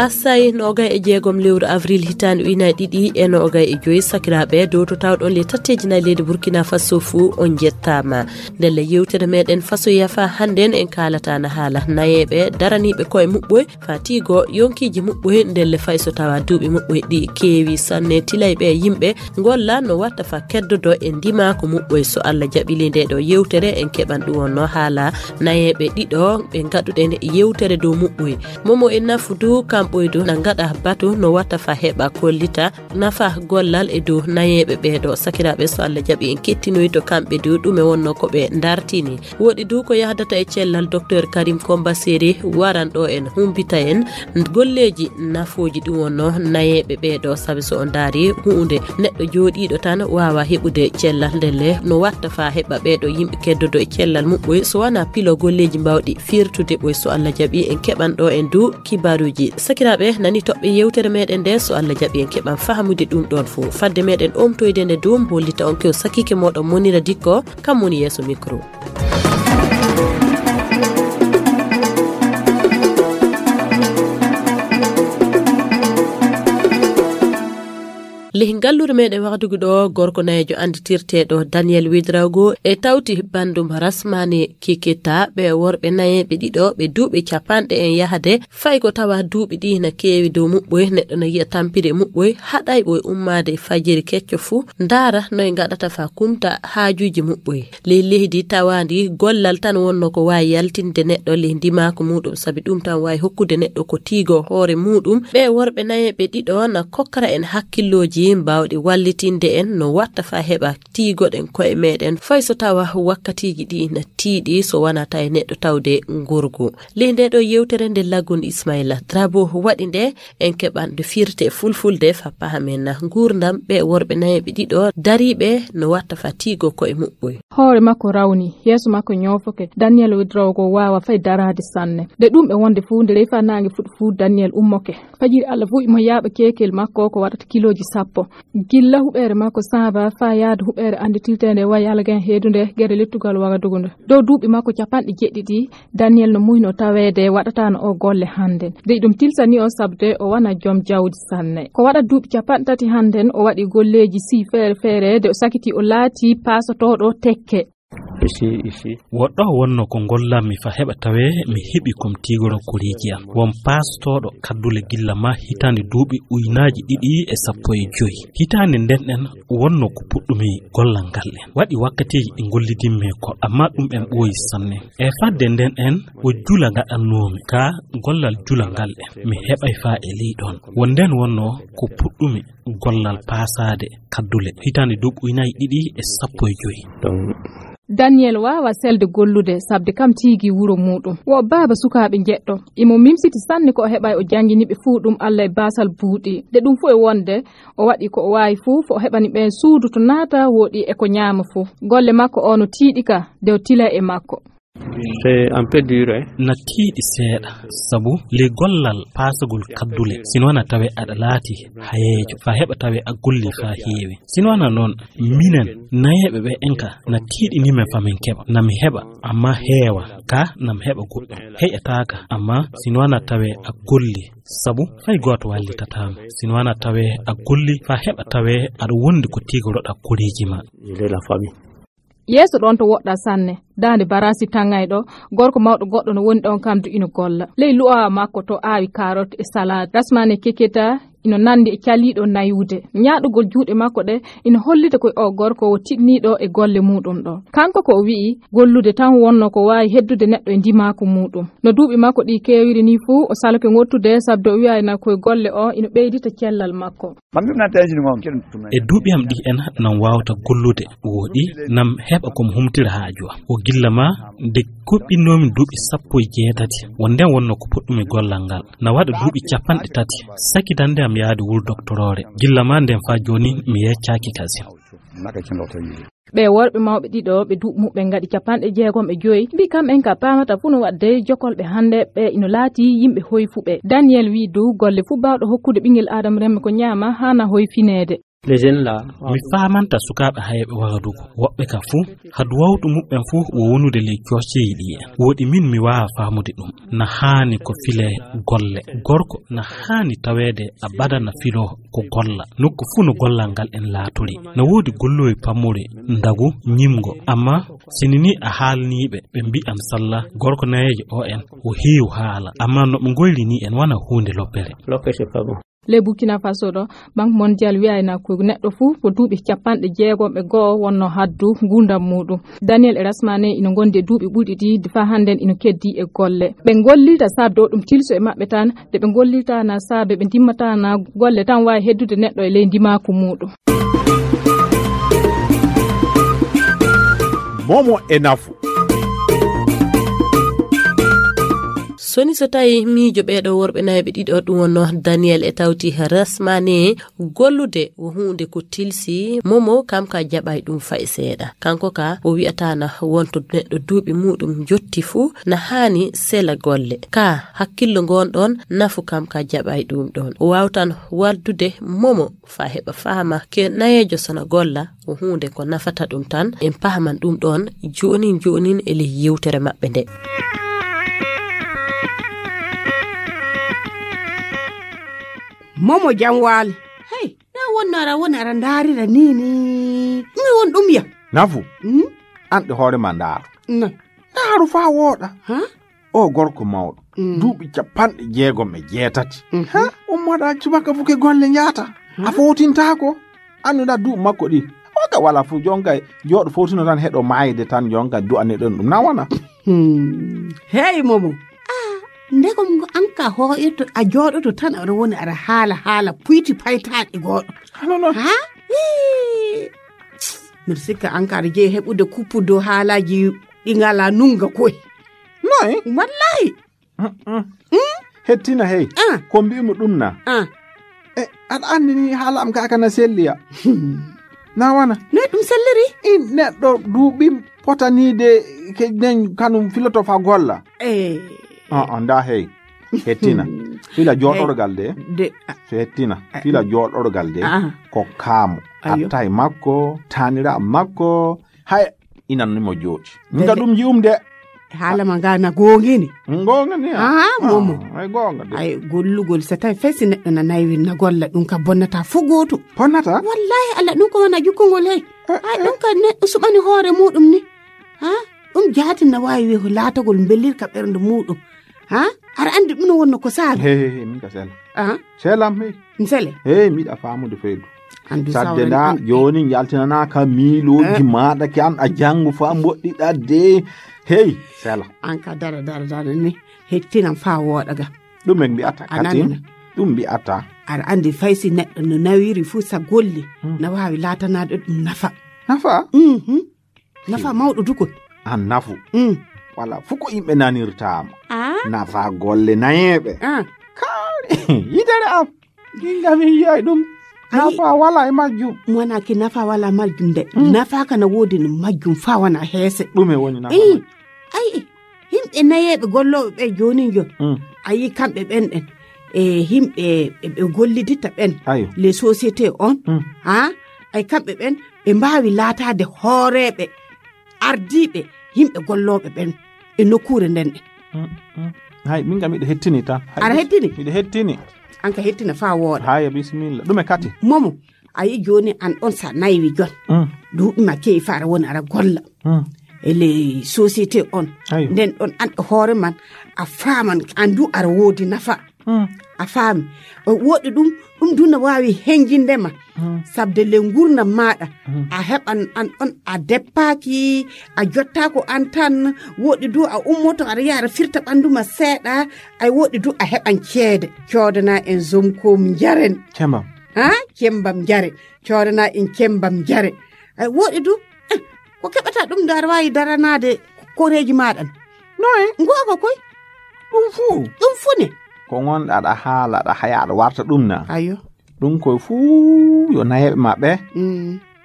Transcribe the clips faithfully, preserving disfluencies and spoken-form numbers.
Assay noogay e jeegom lewru avril hitaande ujunaaji ɗiɗi e noogay e joy, sakiraaɓe, dow to tawɗon le tatteeji nayi leydi Burkina Faso fuu, on njettaama. Ndelle yewtere meɗen Faso Yafa hannden en kaalata na haala nayeeɓe daraniiɓe koye muɓɓoy, faa tiigo yonkiiji muɓɓoy, ndelle fay so tawa duuɓi muɓɓoy ɗi keewi sanne, tilayɓe yimɓe ngolla no watta faa keddodo e ndimaaku muɓɓoy. So Allah jaɓi le nde ɗo yewtere en keɓan ɗum wonno haala nayeeɓe ɗiɗo ɓe ngaɗuɗen yewtere dow muɓɓoy. Momo e Nafudu kamɓoy du na ngaɗa batu no watta faa heɓa kollita nafa gollal e dow nayeeɓe ɓeeɗo. Sakiraaɓe, so Allah jaɓi en kettinoyto kamɓe du ɗume wonno ko ɓe dartini. Woɗi du ko yahdata e cellal Docteur Karim Komba Seri waran ɗo en humbita en golleeji nafooji ɗum wonno nayeeɓe ɓeeɗo. Sabi so on ndaari huunde neɗɗo jooɗiiɗo tan waawa heɓude cellal ndelle no watta faa heɓa ɓeeɗo yimɓe keddodo e cellal muɓɓoy so wanaa pilo golleeji mbawɗi firtude ɓoy. So Allah jaɓi en keɓan ɗo en du kibaruuji. Sakiraaɓe, nani toɓɓe yewtere meɗen nde, so Allah jaɓi en keɓan fahamude ɗum ɗon fof. Fadde meɗen omtoyde nde dum, hollita on kew sakike moɗon Monira Dikko, kam woni yeeso micro. Leh ngalluure meɗen wahdugu ɗo, gorko nayeejo anditirteeɗo Daniel Widrago e tawti bandum Rasmani Kikita, ɓe worɓe nayeeɓe ɗiɗo, ɓe duuɓi capanɗe en yahade, fay ko tawa duuɓi ɗi na keewi dow muɓɓoy, neɗɗo na yi'a tampiri e muɓɓoy, haɗay ɓoy ummaade e fajiri kecco fuu, ndaara noy ngaɗata faa kumta haajuuji muɓɓoy. Ley leydi tawaandi gollal tan wonno ko waawi yaltinde neɗɗo ley ndimaaku muuɗum, sabi ɗum tan waawi hokkude neɗɗo ko tiigo hoore muuɗum. Ɓee worɓe nayeeɓe ɗiɗo na kokkara en hakkillooji mbaawɗi wallitinde en no watta faa heɓa tiigoɗen ko'e meɗen, fay so tawa wakkatiiji ɗi na tiiɗi, so wanaa tawi neɗɗo tawde ngorgu. Ley nde ɗo yewtere nde Lagun Ismaila Drabo waɗi nde, en keɓan nde firte fulfulde faa pahamen na nguurndam ɓee worɓe nayeeɓe ɗiɗo dariiɓe no watta faa tiigo ko'e muɓɓoy. Hoore makko rawni, yeeso makko ñoofoke. Daniel Widrago waawa fay daraade sanne. Nde ɗum ɓe wonde fuu, nde ley faa naange fuɗi fuu, Daniel ummoke. Fajiri Allah fuu imo yaaɓa keekel makko ko waɗata kilooji sappo. Gilla huɓeere makko saaba faa yaade huɓeere annditirteende wa Yalgen heedunde gere lettugal Wagadugu nde. Dow duuɓi makko capanɗe jeɗɗiɗi, Daniel no muuyno taweede waɗataano o golle hannde. Dey ɗum tilsanii o sabde o wona joom jawdi sanne. Ko waɗa duuɓi capanɗe tati hannden o waɗi golleeji sii feere feere de o sakitii o laatii paasotooɗo tekke. Ici, ici. Woɗɗo wonno ko ngollammi fa heɓa tawe mi heɓi kom tiigoro koreeji am. Won paastooɗo kaddule gilla ma hitaande duuɓi uynaaji ɗiɗi e sappo e joy. Hitaande nden ɗen wonno ko puɗɗumi gollal ngal en. Waɗi wakkatiiji ɗi ngollidimmi e goɗɗo, amma ɗum en ɓooyi sanne. E fadde nden en o jula gaɗannoomi ka gollal jula ngal en. Mi heɓay fa e ley ɗon. Won nden wonno ko puɗɗumi gollal paasaade kaddule hitaande duuɓi uynaaji ɗiɗi e sappo e joy. Daniel waawa selde gollude, sabde kam tiigi wuro muuɗum. Wo baaba sukaaɓe njeɗɗo. Imo mimsiti sanne ko o heɓay o janngini ɓe fuu ɗum Allah e baasal buuɗi. Nde ɗum fuu e wonde, o waɗi ko o waawi fuu fo o heɓani ɓeen suudu to naata wooɗi e ko ñaama fuu. Golle makko o no tiiɗi ka, de o tila e makko. C'est un peu dur, hein? Na tiiɗi seeɗa, sabu ley gollal paasagol kaddule, sino na tawe aɗa laati hayeejo, faa heɓa tawe a golli faa heewi. Sino na noon, minen nayeeɓe ɓe en ka, na tiiɗini men faa min keɓa, na mi heɓa, amma heewa, ka na mi heɓa goɗɗo. Heƴataaka, amma sino na tawe a golli, sabu fay gooto wallitataama. Sino na tawe a golli, faa heɓa tawe aɗa wondi ko tigoroɗa koreeji ma. Il est la famille. Yeeso ɗon to woɗɗa sanne, daande baraasi taŋayɗo, gorko mawɗo goɗɗo no woni ɗon kam du ino golla. Ley lu'awa makko to aawi kaarot e salaad. Rasmane Keketa ino nandi e caliiɗo nayude. Ñaaɗugol juuɗe makko ɗe ino hollita ko o gorko o tiɗniiɗo e golle muuɗum ɗo. Kanko ko o wi'i, gollude tan wonno ko waawi heddude neɗɗo e ndimaaku muuɗum. No duuɓi makko ɗi keewiri ni fuu, o saloke ŋottude sabde o wi'ayna koye golle o ino ɓeydita cellal makko. E duuɓi am ɗi en nan waawta gollude, wooɗi nan heɓa ko mi humtira haaju am. O gilla ma nde kuɓɓinnoomi duuɓi sappo e jeetati, won nden wonno ko puɗɗumi gollal ngal. Na waɗa duuɓi capanɗe tati, sakitande am yaade wul doktoroore. Gilla ma nden faa jooni mi yeccaaki kasin. Ɓee worɓe mawɓe ɗiɗo ɓe duuɓi muɓɓen ngaɗi capanɗe jeegom e joyi, mbii kam en ka paamata fuu no waɗde jokolɓe hannde ɓe ino laatii yimɓe hoyfuɓe. Daniel wii dow golle fuu baawɗo hokkude ɓinngel aadama remme ko ñaama haana hoyfineede. Les jeunes là. Mi faamanta sukaaɓe hayɓe wagadugu woɓɓe ka fuu hadu wawtu muɓɓen fuu wo wonude ley coosceyi ɗi en woɗi min mi waawa faamude ɗum. Na haani ko file golle gorko na haani taweede a badana filo ko golla nokku fuu no gollal ngal en laatori. Na woodi golloowi pammori ndagu ñimgo amma sini ni a haalniiɓe ɓe mbi'an salla gorko nayeejo o en o heew haala amma no ɓe ngoyri ni en wana huunde loppere. Loppere. Le Burkina Faso ɗo, Banque Mondiale wi'ayna ko neɗɗo fuu ko duuɓi capanɗe jeegom e go'o wonno haddu nguurndam muuɗum. Daniel e Rasmane ina ngondi e duuɓi ɓurɗi ɗi faa hannden ina keddii e golle. Ɓe ngollirta saabde o ɗum tilso e maɓɓe tan, nde ɓe ngollirta na saabe ɓe ndimmataa na golle tan waawi heddude neɗɗo e ley ndimaaku muuɗum. Momo e nafu. Soni so tawi miijo ɓeeɗo worɓe nayo ɓe ɗiɗo ɗum wonno Daniel e tawti Rasmane gollude o huunde ko tilsi momo kam ka jaɓay ɗum fay seeɗa kanko ka o wi'ata na wonto neɗɗo duuɓi muɗum jotti fuu na haani sela golle ka hakkillo ngon ɗon nafu kam ka jaɓay ɗum ɗon o wawtan waldude momo fa heɓa faama ke nayeejo sona golla ko huunde ko nafata ɗum tan en pahaman ɗum ɗon joonin joonin e ley yewtere maɓɓe nde. Momo jam waali. Hey, na wonno ara woni ara ndaarira ni ni mi won ɗum ya. Nafu. An ɗe hoore ma ndaaru. Ndaaru faa wooɗa. O gorko mawɗo duuɓi capanɗe jeegom e jeetati. Ummoɗa subaka fuke golle njaata a fowtintaako. Annduɗa duuɓi makko ɗi oga wala fof jonka jooɗo fowtino tan heɗo maayde tan jonka du'aneɗon ɗum na wona. Hey momo. Ndegom ngo an ka hooƴoto a jooɗoto tan aɗa woni aɗa haala haala puyti paytaaɗi gooɗo. Hano non. Ha? Mbiɗa sikka an ka aɗa jeyi heɓude kuppu dow haalaaji ɗi ngalaa nunnga koy. Noy? Wallahi. Hettina hey ko mbimi ɗum na. E aɗa anndi ni haala am ka kana selliya. Na wana. Noy ɗum selliri? In neɗɗo duuɓi potaniide ke nen kanum filoto fa golla. E. Nda hey. Hettina fila jooɗorgal de. So hettina fila jooɗorgal de. Ko kaamu attay makko tanira makko. Hay inan nimo jooɗi nga ɗum yi'um de. Haala ma nga na gongini. Gongini. Aha momo. Ay gonga de. Ay gollugol so tawi fay si neɗɗo na naywin na golla ɗum ka bonnata fo gootu. Bonnata? Wallahi Allah ɗum ko wona jukkungol hey. Ay ɗum ka neɗɗo suɓani hoore muɗum ni. Ha? Ɗum jaatin na waawi wi'o laatagol mbelirka ɓernde muɗum. Ha? Aɗa anndi ɗum no wonno ko saabi. He he he min ka sela. Aha. Selam he. Nsele. He miɗa faamude feydu. Andu sadde nda joni yaltinana ka miiloji maɗa ke an a jangu fa mboɗɗiɗa de. Hey sela. An ka dara dara dara ni hettinan fa woɗa ga. Ɗum en mbi'ata katin ɗum mbi'ata. Aɗa anndi fay si neɗɗo no nawiri fuu sa golli na waawi laatanade ɗum nafa. Nafa? Mhm. Nafa mawɗo dukol. An nafu. Wala fuu ko yimɓe nanirtaama. Nafa golle nayeeɓe. Kaari yidere am. Ginga mi yiyay ɗum. Nafa wala e majjum. Wona ki nafa wala majjum de. Nafa kana woodi no majjum fa wona heese. Ɗume woni nafa? Ay yimɓe nayeeɓe gollooɓe ɓe jooni jon. A yi kamɓe ɓen ɗen. E yimɓe ɓe golliditta ɓen. Les sociétés on. Ha? Ay kamɓe ɓen ɓe mbaawi laataade hooreeɓe ardiiɓe yimɓe gollooɓe ɓen e nokkuure nden ɗe. Hay min kam miɗo hettini tan. Aɗa hettini? Miɗo hettini. An ka hettina faa wooɗa. Haya bisimilla. Ɗume kati? Momo, a yi jooni an ɗon sa naywi jon. Duuɓi ma kewi faa aɗa woni aɗa golla. E ley société on. Nden ɗon an ɗo hoore man a faaman an du aɗa woodi nafa. A faami. Woɗɗi ɗum ɗum du no waawi henjinde ma. Sabde le ngurnam maaɗa a heɓan an ɗon a deppaaki a jottaako an tan. Woɗɗi du a ummoto aɗa yaha aɗa firta ɓanndu ma seeɗa. Ay woɗɗi du a heɓan ceede coodana en zomkom njaren. Cembam. Ha? Cembam njaren. Coodana en cembam njaren. Ay woɗɗi du ko keɓata ɗum nde aɗa waawi daranaade koreeji maaɗa. Noye? Ngoonga koy. Ɗum fuu. Ɗum fuu ne. Ko ngonɗa aɗa haala aɗa haya aɗa warta ɗum na. Ayo. Ɗum koye fuu yo nayeeɓe maɓɓe.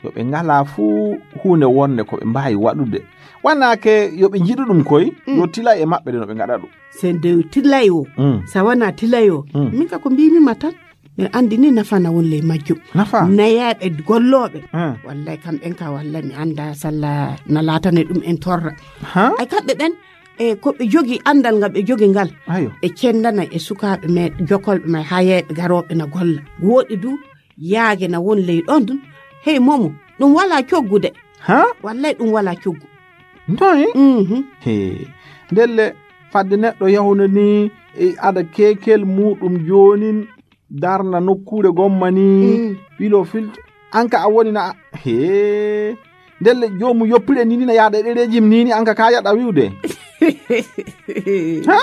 Yo ɓe ngalaa fuu huunde wonnde ko ɓe mbaawi waɗude. Wanaake yo ɓe njiɗu ɗum koy yo tilay e maɓɓe de no ɓe ngaɗa ɗum. Se nde tilay o. Sa wona tilay o. Min ka ko mbimi ma tan. Miɗo anndi ni nafa na won ley majjum. Nafa? Nayeeɓe gollooɓe. Hmm. Wallay, kamɓen ka, wallay, mi annda salla na laatane ɗum en torra. Ha? Ay, kamɓe ɓen, e ko ɓe jogii, anndal ngal ɓe jogii ngal, Ayo. ɓe cenndanay e sukaaɓe men, jokolɓe men, hayeeɓe garooɓe na golla. Wooɗi du, yaage na won ley ɗon ɗum. Hey, Momo, ɗum walaa coggu de. Ha? Wallay, ɗum walaa coggu. Noy? Mhm. He. Ndelle, fadde neɗɗo yahuna ni, e, ada kekel muɗum joonin, darna nokkuure gomma ni, Mm. wilo filto. An ka a woni na, he. Ndelle, joomu yoppire ni, ni na yaada e ɗereeji ni, ni an ka ka yaɗa wi'ude. Ha?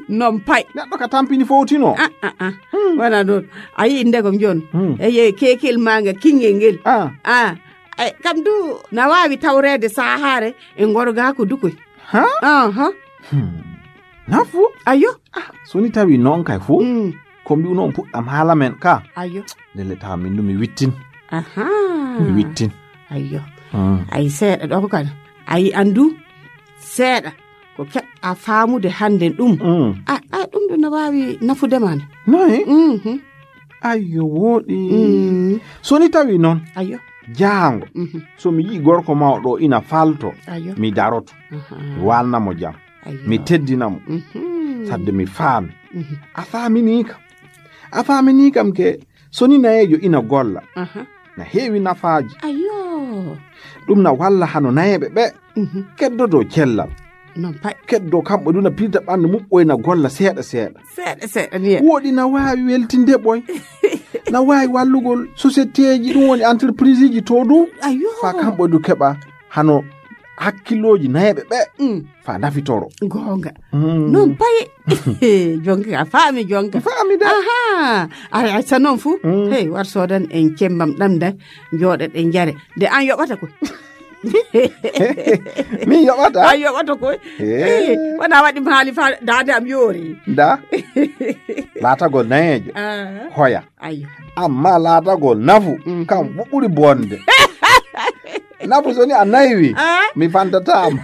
Non pay. Neɗɗo ka tampini fowtino. Ah, ah, ah. Hmm. Wona non. A yi'i ndegom jon. Hmm. Eye kekel manga kingel ngel. Ah. Ah. Ay, kam du na waawi tawreede saahaare e ngorgaaku dukoy. Ha? Aha. Hmm. Nafu? Ayo. Ah, so ni tawi non kay fu. Mm. Ko mbi'u non puɗɗam haala men ka. Ayo. Ndelle tawa min du mi wittin. Aha. Mi wittin. Ayo. Mm. Ay, seeɗa ɗo ko kan. Ay, andu seeɗa. Ko keɓɗa faamude hannden ɗum. Mm. A, a, ɗum ɗum no waawi nafude ma ne. Noy? Mhm. Ayyo, wooɗi. Mm. So ni tawi noon, Ayyo. jaango, Mhm. so mi yi'i gorko mawɗo ina falto, Ayyo. mi daroto. Aha. Mi waalna mo jam. Ayyo. Mi teddina mo. Mhm. Sadde mi faami. Mhm. A faaminii kam. A faaminii kam ke, so ni nayeejo ina golla. Aha. Na heewi nafaaji. Ayyo. Ɗum na walla hano nayeeɓe ɓe Mhm. keddodoo cellal. Non pay. Keddoo kamɓe du na pirta ɓanndu muɓɓoy na golla seeɗa seeɗa. Seeɗa seeɗa ni. Wooɗi na waawi weltinde ɓoy. Na waawi wallugol sociétéji, ɗum woni entrepriseji to du. Ayyo. Fa kamɓe du keɓa hano hakkillooji nayeeɓe ɓe. Mm. Fa nafitoro. Goonga. Mm. Non pay. Jonka, a faami jonka. Faami de. Aha. Ay, ay, sa non fu. Mm. Hey, war soodan en cembam ɗam da. Jooɗa ɗe njare. De an yoɓata ko. Min yoɓata? An yoɓata ko. Hey. Hey, wona waɗi mi haali fa daande am yoori. Da. Laatagol nayeejo. Ah. Hoya. Ayyo. Amma laatagol nafu, Mhm. kam ɓuri bonde. Nafu so ni a naywi, Ah. mi fantataama.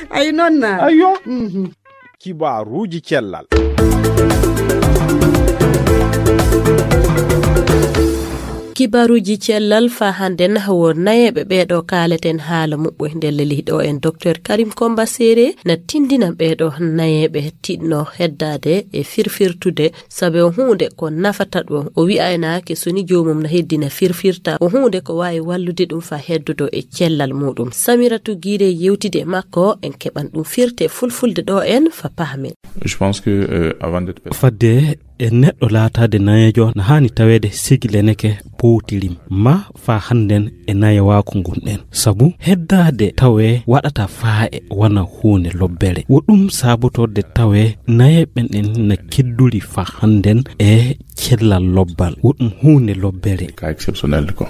Ay, non na. Ayyo. Mhm. Kibaaruuji cellal. Kibaaruuji cellal fa hannden wo nayeeɓe ɓeeɗo kaaleten haala muɓɓoy ndelle lihɗo en Docteur Karim Komba Sere na tindina ɓeeɗo nayeeɓe tiɗno heddaade e firfirtude Sabe o huunde ko nafata ɗum. O wi'aynaake so ni joomum na heddina firfirta. O huunde ko waawi wallude ɗum fa heddodo e cellal muuɗum. Samiratu Giire yewtide e makko, en keɓan ɗum firte fulfulde ɗo en fa pahmen. Je pense que, euh, avant d'être Fadde e neɗɗo laataade nayeejo na haani taweede sigi leneke powtirim ma fa hannden e nayewaaku ngun ɗen. Sabu heddaade tawee waɗata faa'e wona huunde lobbere. Wo ɗum saabotorde tawee nayeeɓe ɓen na kedduri fa hannden e cellal lobbal. Wo ɗum huunde lobbere. Cas exceptionnel, quoi.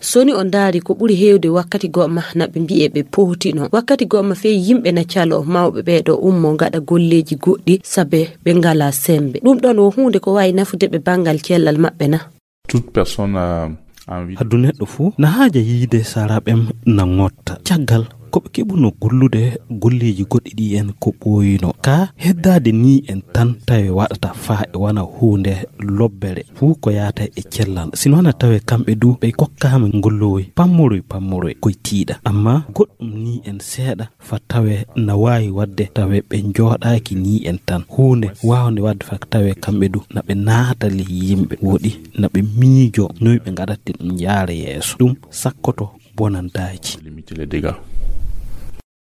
So ni o ndaari ko ɓuri heewde wakkati go'o ma na ɓe mbi'e ɓe pootino. Wakkati go'o ma fey yimɓe na caloo mawɓe ɓee ɗo ummoo ngaɗa golleeji goɗɗi sabe ɓe ngalaa semmbe. Ɗum ɗon wo huunde ko waawi nafude ɓe banngal cellal maɓɓe na? Toute personne a envie. Haddu neɗɗo fuu na haaja yiide saraɓem na ŋotta. Caggal ko ɓe keɓuno gollude golleeji goɗɗi ɗi en ko ɓooyino. Ka heddaade ni en tan tawe waɗata faa e wona huunde lobbere fuu ko yaata e cellal. Sino wona tawe kamɓe du ɓe kokkaama ngollowoy pammoroy pammoroy koye tiiɗa. Amma goɗɗum ni en seeɗa fa tawe na waawi waɗde tawe ɓe njooɗaaki ni en tan. Huunde waawnde waɗde fa tawe kamɓe du na ɓe naata ley yimɓe woɗi na ɓe miijo noy ɓe ngaɗatte ɗum yaara yeeso. Ɗum sakkoto bonandaaji. Limiter les dégâts.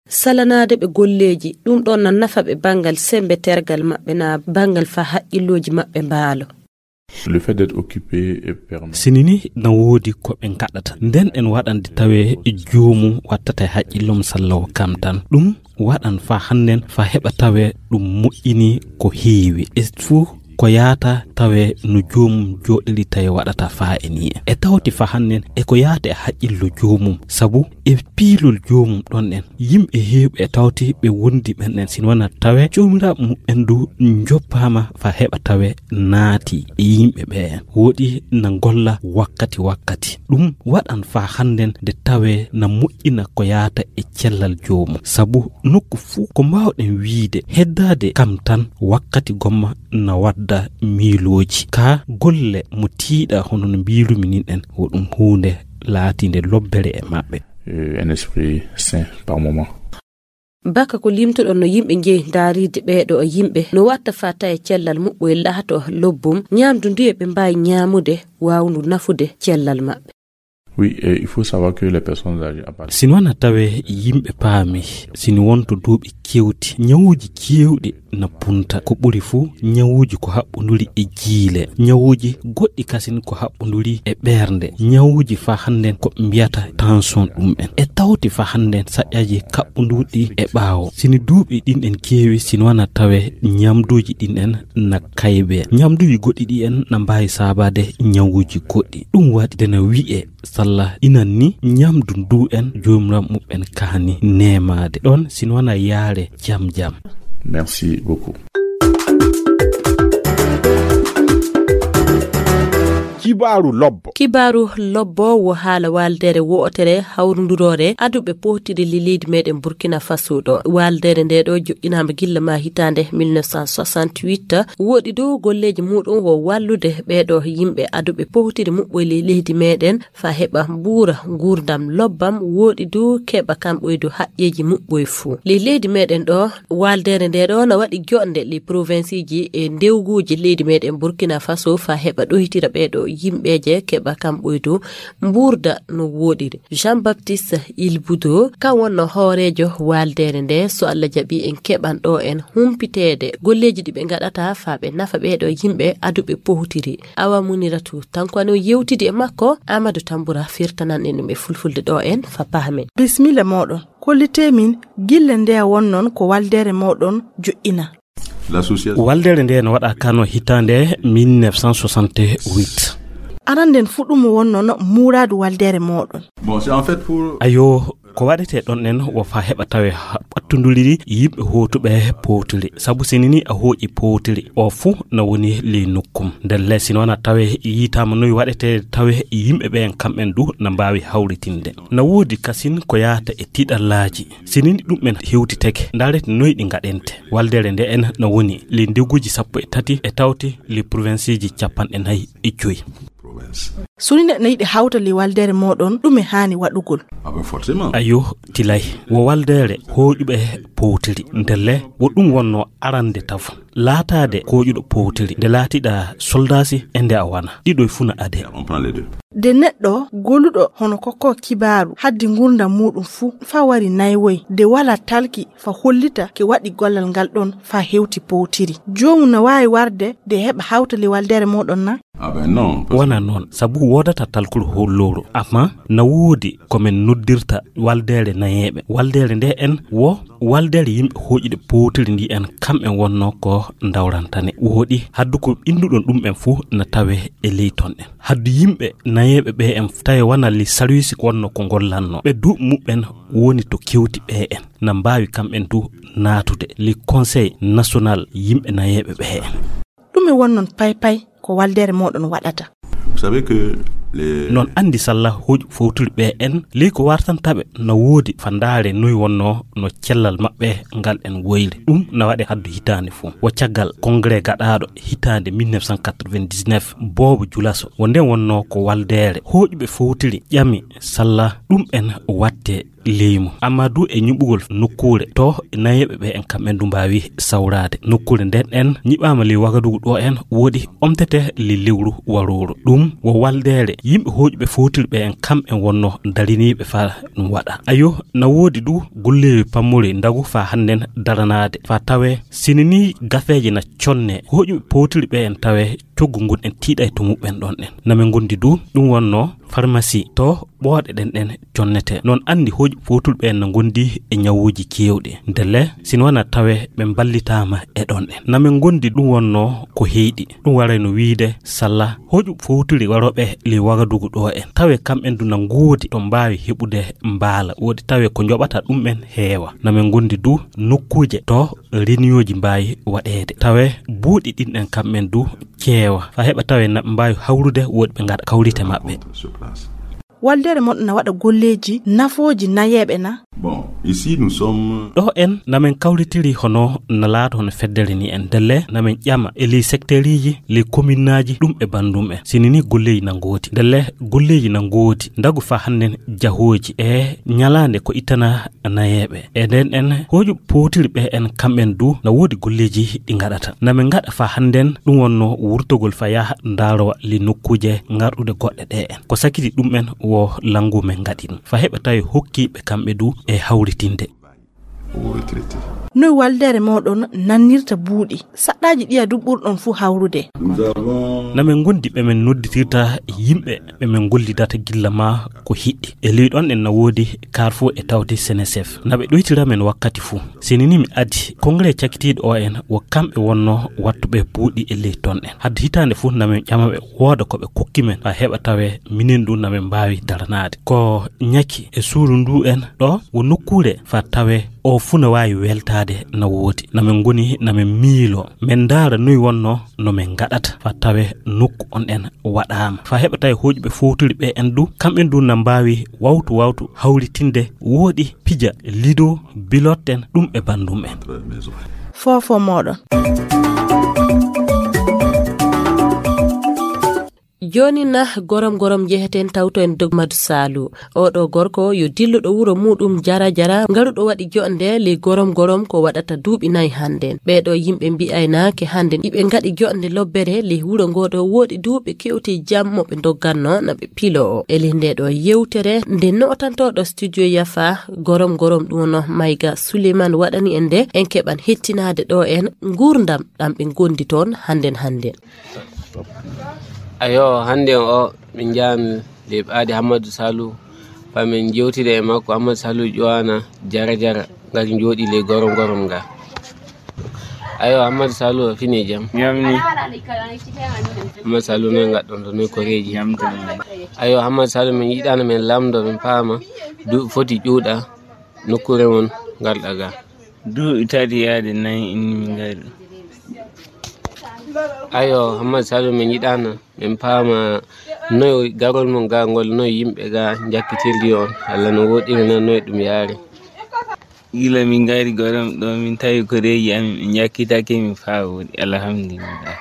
Salanaade ɓe golleeji, ɗum ɗon na nafa ɓe banngal semmbe tergal maɓɓe na banngal fa haqqillooji maɓɓe mbaalo. Le fait d'être occupé et permet. Sini ni na woodi ko ɓe ngaɗata. Nden en waɗande tawe joomum wattata e haqqillum sallawo kam tan. Ɗum waɗan fa hannden fa heɓa tawe ɗum moƴƴini ko heewi. E fuu ko yaata tawe no joomum jooɗiri tawi waɗata fa e ni en. E tawti fa hannden e ko yaata e haqqillo joomum. Sabu e piilol joomum ɗon en. Yimɓe heewɓe e tawti ɓe wondi ɓen en sino wona tawe joomiraaɓe muɓɓen du njoppaama fa heɓa tawe naati e yimɓe ɓe en. Woɗi na ngolla wakkati wakkati. Ɗum waɗan fa hannden nde tawe na moƴƴina ko yaata e cellal joomum. Sabu nokku fuu ko mbaawɗen wiide heddaade kam tan wakkati gomma na wadda. mbaɗa miilooji. Ka golle mo tiiɗa hono no mbiirumi nin en, wo ɗum huunde laatiinde lobbere e maɓɓe. Euh, un esprit sain par moment. Baka ko limtuɗon no yimɓe njeyi ndaariide ɓeeɗo yimɓe no watta faa tawe cellal muɓɓoy laato lobbum, ñaamdu ndu e ɓe mbaawi ñaamude waawndu nafude cellal maɓɓe. Oui, et il faut savoir que les personnes âgées à partir Sino wana tawe yimɓe paami, sini wonto duuɓi kewti, ñawuuji keewɗi na punta. Ko ɓuri fuu, ñawuuji ko haɓɓunduri e jiile. Ñawuuji goɗɗi kasin ko haɓɓunduri e ɓernde. Ñawuuji fa hannden ko mbiyata tension ɗum en. E tawti fa hannden saƴƴaji kaɓɓundurɗi e ɓaawo. Sini duuɓi ɗin en keewi, sino wana tawe ñamduuji ɗin en na kaybe. Ñamduuji goɗɗi ɗi en na mbaawi saabaade ñawuuji goɗɗi. Ɗum waɗi dena wi'e salla inan ni ñamdu ndu en joomiram muɓɓen kaani neemaade. Ɗon sino wana yaare jam jam. Merci beaucoup. Kibaaru lobbo. Kibaaru lobbo wo haala waaldere wo'otere hawrunduroore aduɓe pootiri li leydi meɗen Burkina Faso ɗo. Waaldere nde ɗo joɗɗinaama gilla ma hitaande mille neuf cent soixante-huit. Woɗi dow golleeji muɗum wo wallude ɓeeɗo yimɓe aduɓe pootiri muɓɓoy li leydi meɗen fa heɓa mbuura nguurdam lobbam, woɗi dow keɓa kamɓoy dow haƴƴeeji muɓɓoy fuu. Li leydi meɗen ɗo, waaldere nde ɗo na waɗi joɗnde li provinciji e ndewguuji leydi meɗen Burkina Faso fa heɓa ɗoytira ɓeeɗo yimɓeeje keɓa kamɓoy dow mbuurda no woɗiri. Jean-Baptiste Ilbudo, kan wonno hooreejo waaldere nde, so Allah jaɓi en keɓan ɗo en humpiteede golleeji ɗi ɓe ngaɗata fa ɓe nafa ɓeeɗo yimɓe aduɓe pootiri. Awa Muniratu Tanko no yewtidi e makko, Amadou Tambura firtanan en ɗum e fulfulde ɗo en fa pahamen. Bismilla moɗon. Kollite min gille nde wonnon ko waaldere moɗon joɗɗina. L'association. Waaldere nde no waɗa kano hitaande mille neuf cent soixante-huit. Aranden fuɗɗumo wonnon muuraadu waaldere moɗon. Bon, c'est en fait pour Ayo, ko waɗete ɗon en wo fa heɓa tawe ha-, ɓattunduri yimɓe hootuɓe pootiri. Sabu sinini a hooƴi pootiri, o fuu na woni ley nokkum. Ndelle sino wana tawe yiitaama noy waɗete tawe yimɓe ɓe en kamɓen du na mbaawi hawritinde. Na woodi kasin ko yaata e tiɗallaaji. Sinini ɗum en hewtiteke, ndaarete noy ɗi ngaɗente. Waaldere nde en na woni ley ndeguuji sappo e tati e tawti ley provinciji capanɗe nayi e joyi. Province. So ni neɗɗo yiɗi hawta ley waaldere moɗon, ɗume haani waɗugol? Ah ben forcément. Ayo, tilay. Wo waaldere hooƴuɓe pootiri. Ndelle, wo ɗum wonno arande tafu. Laataade hooƴuɗo pootiri. Nde laatiɗa soldaasi e nde a wana. Ɗiɗo e fuu na ade. On prend les deux. De neɗɗo goluɗo hono kokko kibaaru haddi ngurndan muɗum fuu fa wari naywoy. De wala talki fa hollita ke waɗi gollal ngal ɗon fa hewti pootiri. Joomu na waawi warde de heɓa hawta ley waaldere moɗon na? Ah ben non, parce que Wona noon, sabu woodata talkol hollooru. Amma na woodi ko men noddirta waaldere nayeeɓe. Waaldere nde en wo waaldere yimɓe hooƴuɓe pootiri ndi en kam en wonno ko ndawrantane. Woodi haddu ko ɓinduɗon ɗum en fuu na tawe e ley ton en. Haddu yimɓe nayeeɓe ɓe en tawe wana li sarwisi wonno ko ngollanno. Ɓe du muɓɓen woni to kewti ɓe en. Na mbaawi kamɓen du naatude li Conseil National yimɓe nayeeɓe ɓe en. Ɗume wonnon paypay ko waaldere moɗon waɗata? Vous savez que les Noon anndi salla hooƴu fowtiri ɓe en, ley ko wartantaɓe no woodi fa ndaare noy wonno no cellal maɓɓe ngal en woyri. Ɗum na waɗe haddu hitaande fof. Wo caggal congrès gaɗaaɗo hitaande mille neuf cent quatre-vingt-dix-neuf, boobo Julaso, wo nden wonno ko waaldere hooƴuɓe fowtiri ƴami salla ɗum en watte leymu. Amma du e ñiɓugol nokkuure to nayeeɓe ɓe en kamɓen du mbaawi sawraade. Nokkuure nden en ñiɓaama ley Wagadugu ɗo en woodi omtete ley lewru warooru. Ɗum wo waaldere yimɓe hooƴuɓe fowtiri ɓe en kamɓen wonno dariniiɓe faa ɗum waɗa. Ayo, na woodi du golleewi pammori ndagu faa hannden daranaade. Faa tawee sinini gafeeje na conne hooƴuɓe powtiri ɓe en tawee coggu ngun en tiiɗay to muɓɓen ɗon en. Na men ngondi du ɗum wonno farmasi to ɓooɗe ɗen ɗen connete. Noon anndi hooƴuɓe powtiri ɓe en na ngondi e ñawuuji keewɗi. Ndelle sino wona tawee ɓe mballitaama e ɗon en. Na men ngondi ɗum wonno ko heyɗi. Ɗum waray no wiide salla hooƴuɓe powtiri warooɓe ley Wagadugu ɗo en. Tawee kamɓen du na ngoodi ɗo mbaawi heɓude mbaala. Woodi tawee ko njoɓata ɗum en heewa. Na men ngondi du nokkuuje to reniyooji mbaawi waɗeede. Tawee buuɗi ɗin ɗen kamɓen du ceewa. Faa heɓa tawee na ɓe mbaawi hawrude woodi ɓe ngaɗa kawrite maɓɓe. Waldere mon na waɗa golleeji nafooji nayeeɓe na? Bon. Ici, nous sommes. Ɗo en namin kawritiri hono na laato hono feddere ni en. Ndelle namin ƴama e ley sekteeriji, ley kominnaaji, ɗum e banndum en. Sini ni golleeji na ngooti. Ndelle golleeji na ngooti. Ndagu faa hannden jahooji e ñalaande ko ittana nayeeɓe. E nden en hooƴu powtiri ɓe en kamɓen du na woodi golleeji ɗi ngaɗata. Namin ngaɗa faa hannden ɗum wonno wurtogol faa yaha ndaarowa ley nokkuuje ngarɗuɗe goɗɗe ɗe en. Ko sakiti ɗum en wo lanngu men ngaɗi ɗum. Faa heɓa tawi hokkiiɓe kamɓe du e hawritinde. Noy waldere mooɗon nannirta buuɗi? Saɗɗaaji ɗiya du ɓurɗon fuu hawrude. Namin ngondi ɓe min nodditirta yimɓe ɓe min gollidata gilla maa ko hiɗɗi. E ley ɗon en na woodi Carrefour e tawde Senecef. Na ɓe ɗoytira men wakkati fuu. Sini ni mi adi, kongre cakitiiɗo o en wo kamɓe wonno wattuɓe buuɗi e ley ton en. Hadde hitaande fuu namin ƴama ɓe wooda ko ɓe kokki men, faa heɓa tawe minen du namin mbaawi daranaade. Ko ñaki e suuru ndu en ɗo wo nokkuure faa tawe o fuu na waawi weltaade na woodi. Namin ngoni namin miilo. Min ndaara noy wonno no min ngaɗata faa tawe nokku on en waɗaama. Faa heɓa tawi hooƴuɓe fowtiri ɓe en du, kamɓen du na mbaawi wawtu wawtu hawritinde wooɗi pija lido bilotten ɗum e banndum en. Foofo mooɗon. Jooni na gorom gorom njeheten tawto en Dogmadu Saalu. Oɗo gorko yo dilluɗo wuro muɗum Jara Jara, ngaruɗo waɗi joɗnde ley gorom gorom ko waɗata duuɓi nayi hannden. Ɓeeɗo yimɓe mbi'aynaake hannden iɓe ngaɗi joɗnde lobbere ley wuro ngo ɗo wooɗi duuɓi kewti jam mo ɓe ndogganno na ɓe piloo. E ley nde ɗo yewtere nde nootantooɗo studio Yafa gorom gorom ɗum no Mayga Suleiman waɗani en nde en keɓan hettinaade ɗo en nguurndam ɗam ɓe ngondi toon hannden hannden. Ayo, hannde o min njaami le ɓaade Hammadu Salu, faa min njewtida e makko. Hammadu Salu ƴowana Jara Jara, ngati njooɗi le gorom gorom nga. Ayo, Hammadu Salu, a fini jam? Yamni. Hammadu Salu, noy ngaɗɗon to, noy koreeji? Yam tan. Ayo, Hammadu Salu, min yiɗano min lamdo, min paama, du foti ƴuuɗa nokkuure mon ngarɗa ga. Duuɓi tati yaade nayi inni min ngari. Ayo, Hammadu Salu, min yiɗano min paama noy garol mon ga ngol, noy yimɓe ga jakkitirdi on, Allah no woɗɗiri na noy ɗum yaari. Gila min ngari gorom ɗo, min tawi koreeji amin, min jakkitake min faa woɗi, alhamdulillah.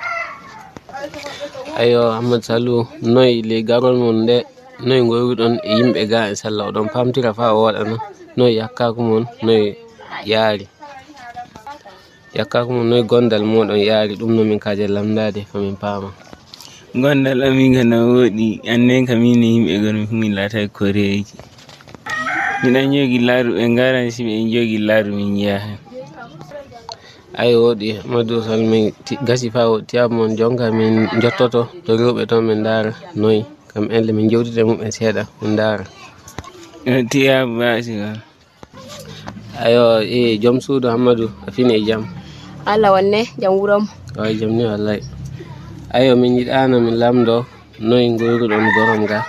Ayo, Hammadu Salu, noy le garol mon nde, noy ngoyruɗon e yimɓe ga e sallah, oɗon pamtira faa woɗana, noy yakkaku mon, noy yaari? Yakkaku mon, noy gondal moɗon yaari? Ɗum no min kaaje lamndaade, faa min paama. Gondal amin ga na woɗi, annen ka min e yimɓe gon min laata koreeji. Miɗan jogi laaru ɓe ngaran, si ɓe jogi laaru min njaha. Ayo, woɗi, Hammadu Salu, min ti-, gasi faa woɗi, tiyaabu mon jonka min njottoto to rewɓe toon min ndaara noy. Kam en le min jewtida e mumen seeɗa, min ndaara. Tiyaabu baasi wan. Ayo, e joom suudu Hammadu, a fini e jam? Allah wonne, jam wuro mo. Waay, jam ni wallay. Ayo, min yiɗano min lamdo noy ngoyruɗon gorom ga?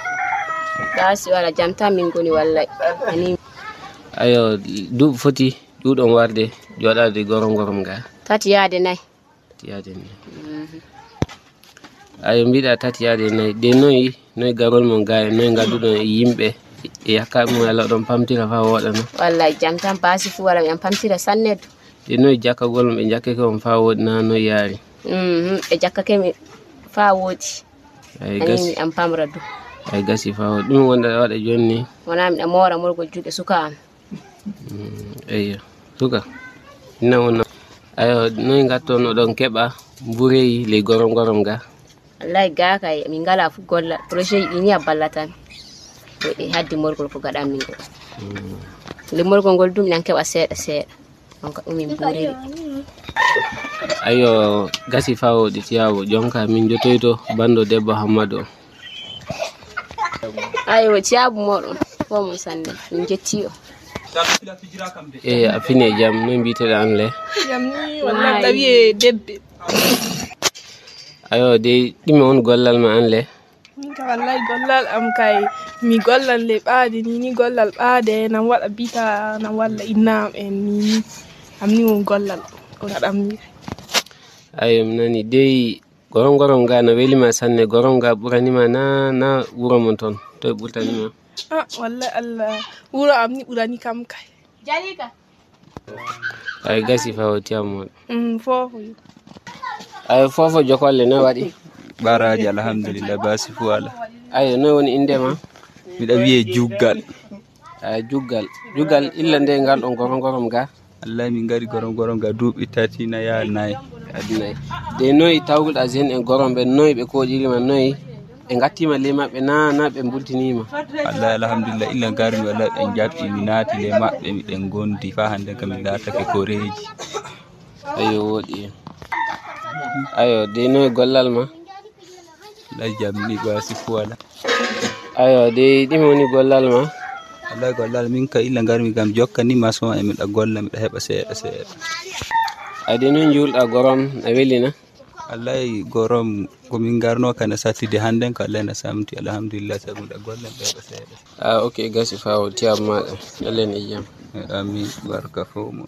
Baasi wala jam tan min ngoni wallay. Ani. Ayo, duuɓi foti ɗuuɗon warde joɗade gorom gorom ga? Tati yaade nayi. Tati yaade nayi. Mhm. Ayo, mbiɗa tati yaade nayi. De noy, noy garol mon ga e noy ngadduɗon e yimɓe e yakkaɓe mon, Allah ɗon pamtira faa woɗana? Wallay jam tan, baasi fuu wala, min pamtira sanne du. De noy jakkagol mon ɓe jakkake on faa woɗi na noy yaari? Mhm, ɓe jakkake mi faa woɗi. Ay, ani gasi. Mi an pamra du. Ay, gasi faa woɗi. Ɗum wonɗa waɗa jooni ni? Wona miɗa moora morgol juuɗe suka am. Mm, eyyo. Suka. Ina wona. Ayo, noy ngatton oɗon keɓa mbureyi ley gorom gorom ga? Wallahi ga kay, min ngala fu gollal. Projet ɗi ni a ballatan. Ko e haddi morgol ko gaɗan min ko. Mm. Nde morgol ngol dum nan keɓa seeɗa seeɗa. Donc ɗum min mburiri. Ayo, gasi faa woɗi tiyaabu. Jonka min jotoyto bando debbo Hammadu on. Aywa, ciyaabu mooɗon, fof mon sanne, min njetti on. E, a fini e jam, no mbiyeteɗa an le? Jam ni, wallahi, tawi e debbe. Ayo, de, ɗume on gollal ma an le? Min ka wallahi gollal am kay, mi gollal le ɓaade ni, ni gollal ɓaade, nan waɗa bita, nan walla inna am en ni, ni. Am ni won gollal, ko ngaɗam ni. Ayo, mi nani dey, gorom gorom ga na weli ma sanne, gorom ga ɓurani ma na, na wuro mon ton, toy ɓurtani ma? Ah, wallahi Allah, wuro am ni ɓurani kam kay. Jalika. Ay gasi fa o tiyam mo. Mm, fofo. Ay fofo jokolle no waɗi. Baraji alhamdulillah basi fu ala. Ay no woni inde ma? Miɗa wiye Juggal. Ay Juggal. Juggal illa nde ngal ɗon gorom gorom ga. Wallahi min ngari gorom gorom ga duuɓi tati na yaha nayi. Adunay. De noy tawgol a zen en gorom ɓe noy ɓe koɗiri ma noy? Ɓe ngattima ley maɓɓe na na ɓe mbultinima? Wallahi alhamdulillah illa ngarmi wallahi ɓe jaɓɓi mi naati ley maɓɓe miɗen gondi fa hande kam mi laatake ko reeji. Ayo woɗi. Ayo de noy gollal ma? Lay jam ni ba si fuwala. Ayo de ɗimo woni gollal ma? Wallahi gollal min ka illa ngarmi gam jokka ni maçon e miɗa golla miɗa heɓa seeɗa seeɗa. Ade noy njuulɗa gorom a welina? Wallahi gorom ko min ngarno kana sattude hannden ko Allah na samti alhamdulillah sabu miɗa golla miɗa heɓa seeɗa. Ah, ok gasi fa o tiyam maɗa. Allah ne yiyam. Amin barka fof mon.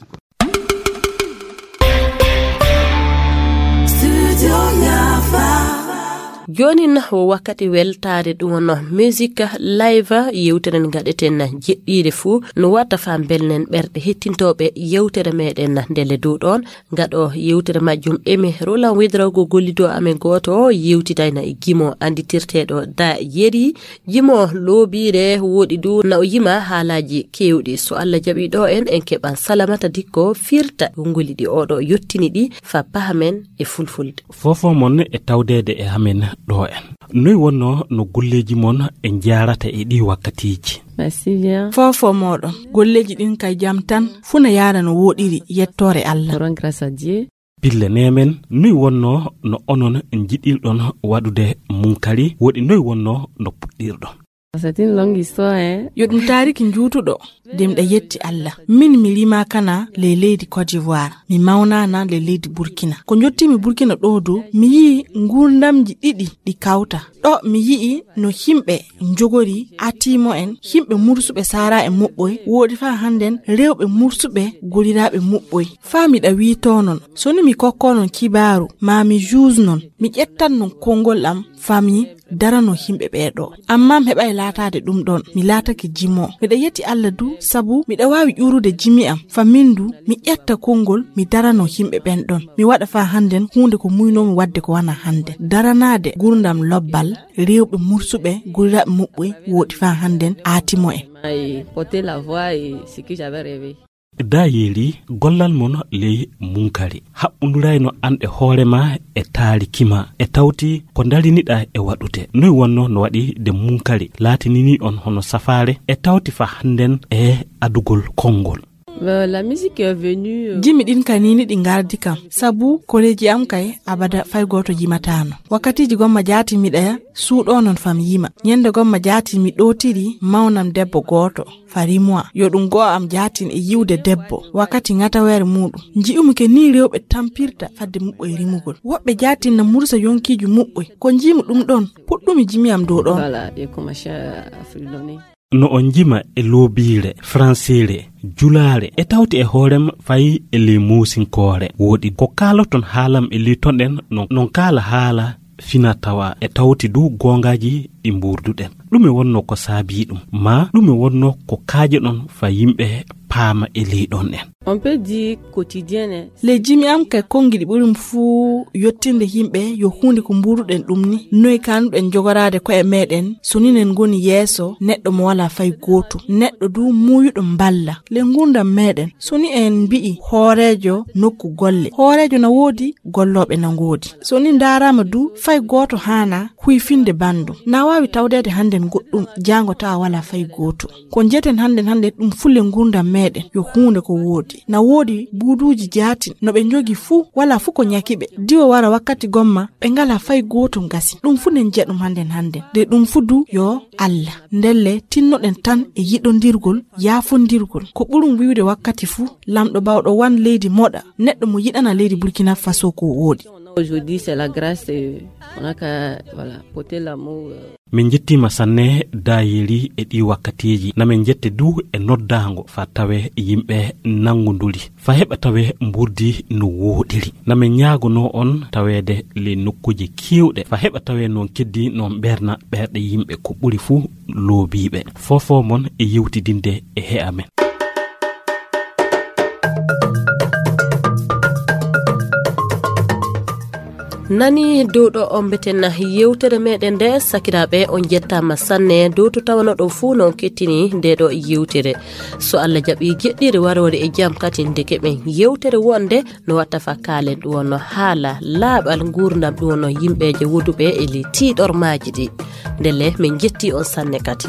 Jooni na o wakkati weltaade ɗum wonno musique live yewtere nde ngaɗeten jeɗɗiire fuu no wata fa mbelnen ɓerɗe hettintooɓe yewtere meɗen ndele dow ɗoon ngaɗo yewtere majjum emi rolan widrogo gollido amen gooto yewtidayna e gimo anditirteeɗo da yeri. Jimo loobiire woɗi du na o yima haalaaji keewɗi so Allah jaɓi ɗo en en keɓan salamata dikko firta ngoli ɗi oɗo yottini ɗi fa pahamen e fulfulde. Fofo mon e tawdeede e amen ɗo en. Noy wonno no golleeji mon e njaarata e ɗi wakkatiiji? Merci bien. Fofo moɗon golleeji ɗin kay jam tan funa yaara no woɗiri yettoore Allah. Pille neemen noy wonno no onon njiɗirɗon waɗude munkari woɗi noy wonno no puɗɗirɗon? C'est une longue histoire, hein. Yo ɗum taariki njuutuɗo de miɗa yetti Allah min mi rima kana ley leydi Côte d'Ivoire mi mawnana ley leydi Burkina ko jottimi Burkina ɗo dow mi yii ngurdamji ɗiɗi ɗi kawta ɗo mi yi'i no yimɓe njogori atimo en yimɓe mursuɓe sara e muɓɓoy woodi fa hannden rewɓe mursuɓe goliraaɓe muɓɓoy fa miɗa wiito non so ni mi kokko non kibaaru ma mi juus non mi ƴettan non konngol am fa mi darano yimɓe ɓee ɗo amma mi heɓay laataade ɗum ɗon mi laatake jimo miɗa yetti Allah du sabu miɗa waawi ƴuurude jimi am fa min du mi ƴetta konngol mi darano yimɓe ɓen ɗon mi waɗa fa hannden huunde ko muynoomi waɗde ko wana hannden daranaade gurdam lobbal rewɓe mursuɓe goliraaɓe muɓɓoy woodi fa hannden aatimo en. Porter la voix et ce que j'avais rêvé. Da yeeri gollal mon ley munkari haɓɓundurayno an e hoore ma e taariki ma e tawti ko dariniɗa e waɗude noy wonno no waɗi de munkari laatinini on hono safaare e tawti fa hannden e adugol konngol. La musique est venue. Jimi ɗin ka nini ɗi ngardi kam sabu koreeji am kay abada fay gooto jimatano wakkatiiji gomma jaati miɗa suuɗo non fam yima ñande gomma jaati mi ɗootiri mawnam debbo gooto fa rimwa yo ɗum go'o am jaatin e yiwde debbo wakkati ŋataweere muɗum nji'umi ke ni rewɓe tampirta fadde muɓɓoy rimugol woɓɓe jaatin na mursa yonkiiji muɓɓoy ko njiimi ɗum ɗon puɗɗumi jimi am dow ɗon. Voilà, et commencé à fredonner. No o njima e loobiire franseere julaare e tawti e hoorem fay e ley muusinkoore woɗi ko kaaloton haalam e litonɗen non kaala haala fina tawa e tawti du goongaaji ɗi mbuurduɗen ɗume wonno ko saabii ɗum ma ɗume wonno ko kaajeɗon fa yimɓe paama e leyɗon en. On peut dire quotidienne. Ley jimi am kay konngi ɗi ɓurim fuu yottirde yimɓe yo huunde ko mbuuruɗen ɗum ni noy kanuɗen jogoraade koye meɗen so ninen ngoni yeeso neɗɗo mo wala fay gootum neɗɗo du muuyuɗo mballa ley ngurdam meɗen so ni en mbi'i hooreejo nokku golle hooreejo na woodi gollooɓe na ngoodi so ni ndaaraama du fay gooto haana huyfinde banndum na waawi tawdeede hannden goɗɗum jaango tawa wala fay gootum ko njeten hannden hannden ɗum fulle ngurdam meɗen yo huunde ko woodi na woodi buuduuji jaatin no ɓe njogi fuu wala fuu ko ñaki ɓe diwo wara wakkati gomma ɓe ngala fay gootum gasi ɗum fuu nen jeɗum hannden hannden de ɗum fuu du yo Allah ndelle tinnoɗen tan e yiɗondirgol yaafondirgol ko ɓurum wiwde wakkati fuu lamɗo bawɗo wan leydi moɗa neɗɗo mo yiɗana leydi Burkina Faso ko woodi. Aujourd'hui c'est la grâce. Min njettiima sanne daayeeri e ɗii wakkatiiji na min njette du e noddaango fa tawe yimɓe nanngunduri fa heɓa tawe mburdi no wooɗiri na min ñaagonoo on taweede ley nokkuuje keewɗe fa heɓa tawe noon keddi noon ɓeerna ɓeerɗe yimɓe ko ɓuri fuu loobiiɓe fofo mon e yewtidinde e he'a men. Nani dow ɗo on mbeten yewtere meɗen nde, sakiraaɓe, on jettaama sanne dow to tawano ɗo fuu no on kettini nde ɗo yewtere. So Allah jaɓi jeɗɗire waroore e jam kadi, ndeke ɓen yewtere wonde no watta fa kaalen ɗum wonno haala laaɓal nguurndam ɗum wonno yimɓeeje woduɓe e ley tiiɗormaaji ɗi. Ndelle min jetti on sanne kadi.